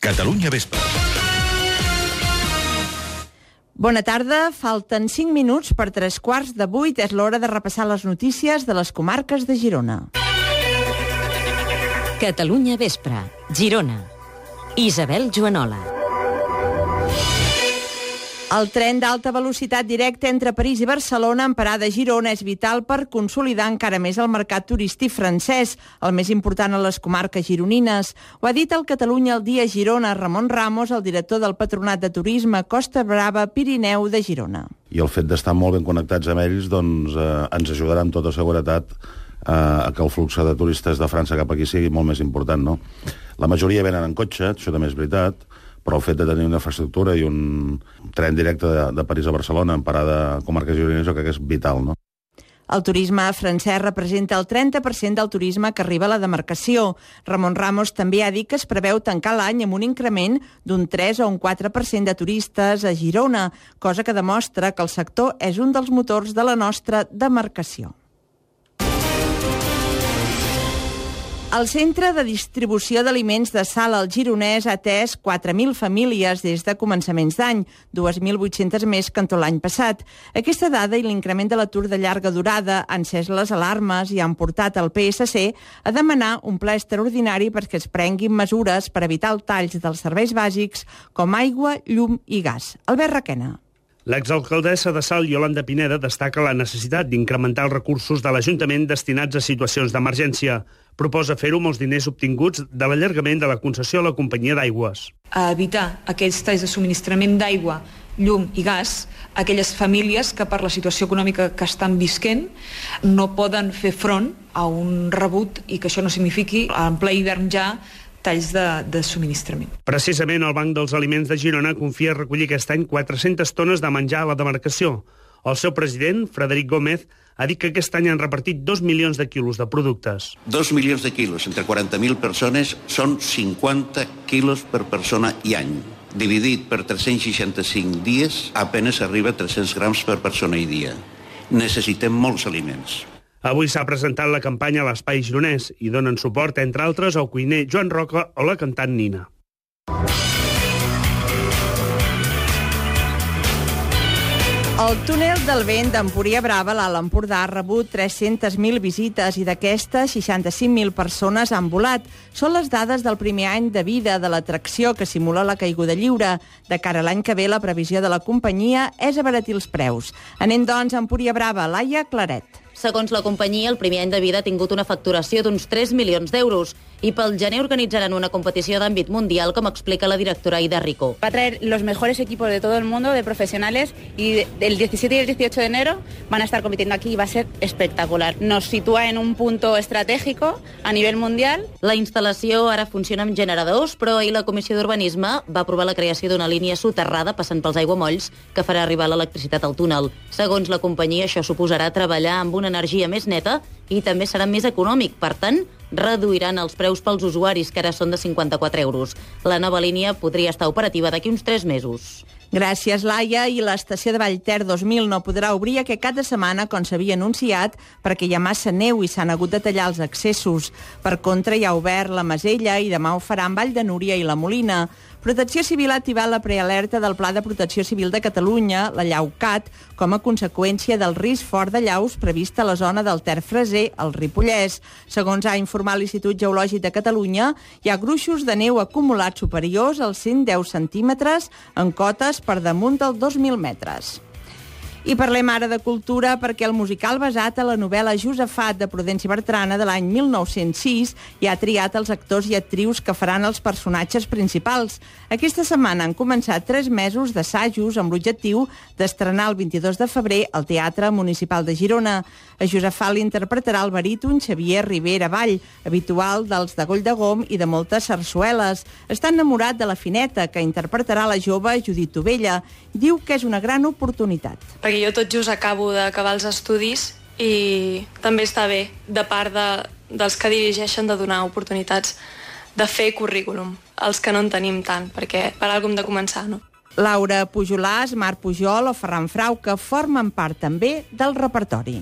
Catalunya Vespre. Bona tarda, falten 5 minuts per 7:45. És l'hora de repassar les notícies de les comarques de Girona. Catalunya Vespre, Girona. Isabel Joanola. El tren d'alta velocitat directe entre París i Barcelona en parada a Girona és vital per consolidar encara més el mercat turístic francès, el més important a les comarques gironines. Ho ha dit el Catalunya al dia Girona, Ramon Ramos, el director del Patronat de Turisme Costa Brava Pirineu de Girona. I el fet d'estar molt ben connectats amb ells doncs, ens ajudarà amb tota seguretat a que el flux de turistes de França cap aquí sigui molt més important, no? La majoria venen en cotxe, això també és veritat, però el fet de tenir una infraestructura i un tren directe de París a Barcelona en parada a comarques gironines jo crec que és vital, no? El turisme francès representa el 30% del turisme que arriba a la demarcació. Ramon Ramos també ha dit que es preveu tancar l'any amb un increment d'un 3 o un 4% de turistes a Girona, cosa que demostra que el sector és un dels motors de la nostra demarcació. El Centre de Distribució d'Aliments de Salt al Gironès ha atès 4.000 famílies des de començaments d'any, 2.800 més que en tot l'any passat. Aquesta dada i l'increment de l'atur de llarga durada han encès les alarmes i han portat el PSC a demanar un ple extraordinari perquè es prenguin mesures per evitar el tall dels serveis bàsics com aigua, llum i gas. Albert Requena. L'exalcaldessa de Salt, Yolanda Pineda, destaca la necessitat d'incrementar els recursos de l'Ajuntament destinats a situacions d'emergència. Proposa fer-ho amb els diners obtinguts de l'allargament de la concessió a la companyia d'aigües. A evitar aquests talls de subministrament d'aigua, llum i gas, aquelles famílies que per la situació econòmica que estan visquent no poden fer front a un rebut i que això no signifiqui en ple hivern ja talls de subministrament. Precisament el Banc dels Aliments de Girona confia recollir aquest any 400 tones de menjar a la demarcació. El seu president, Frederic Gómez, ha dit que aquest any han repartit 2 milions de quilos de productes. 2 milions de quilos entre 40.000 persones són 50 quilos per persona i any. Dividit per 365 dies, apenas arriba a 300 grams per persona i dia. Necessitem molts aliments. Avui s'ha presentat la campanya a l'Espai Gironès i donen suport, entre altres, al cuiner Joan Roca o la cantant Nina. El túnel del vent d'Empúria Brava, l'Alt Empordà, ha rebut 300.000 visites i d'aquestes 65.000 persones han volat. Són les dades del primer any de vida de l'atracció que simula la caiguda lliure. De cara a l'any que ve, la previsió de la companyia és abaratir els preus. Anem, doncs, a Empúria Brava. Laia Claret. Segons la companyia, el primer any de vida ha tingut una facturació d'uns 3 milions d'euros i pel gener organitzaran una competició d'àmbit mundial, com explica la directora Aida Rico. Va a traer los mejores equipos de todo el mundo, de profesionales, y el 17 y el 18 de enero van a estar compitiendo aquí y va a ser espectacular. Nos sitúa en un punto estratégico a nivel mundial. La instal·lació ara funciona amb generadors, però ahir la Comissió d'Urbanisme va aprovar la creació d'una línia soterrada passant pels aiguamolls que farà arribar l'electricitat al túnel. Segons la companyia, això suposarà treballar amb una energia més neta i també serà més econòmic. Per tant, reduiran els preus pels usuaris, que ara són de 54 euros. La nova línia podria estar operativa d'aquí uns 3 mesos. Gràcies, Laia. I l'estació de Vallter 2000 no podrà obrir aquest cap de setmana, com s'havia anunciat, perquè hi ha massa neu i s'han hagut de tallar els accessos. Per contra, hi ha obert la Masella i demà ho farà en Vall de Núria i la Molina. Protecció Civil ha activat la prealerta del Pla de Protecció Civil de Catalunya, la LLAUCAT, com a conseqüència del risc fort de llaus previst a la zona del Ter-Freser, al Ripollès. Segons ha informat l'Institut Geològic de Catalunya, hi ha gruixos de neu acumulats superiors als 110 centímetres en cotes per damunt dels 2.000 metres. I parlem ara de cultura perquè el musical basat a la novel·la Josafat de Prudenci Bertrana de l'any 1906 ja ha triat els actors i actrius que faran els personatges principals. Aquesta setmana han començat 3 mesos d'assajos amb l'objectiu d'estrenar el 22 de febrer al Teatre Municipal de Girona. A Josafat l'interpretarà el baríton Xavier Rivera Vall, habitual dels de Goll de Gom i de moltes sarsueles. Està enamorat de la Fineta, que interpretarà la jove Judit Tovella. Diu que és una gran oportunitat. Perquè jo tot just acabo d'acabar els estudis i també està bé, de part dels que dirigeixen, de donar oportunitats de fer currículum, els que no en tenim tant, perquè per alguna hem de començar, no? Laura Pujolàs, Marc Pujol o Ferran Frau, que formen part també del repertori.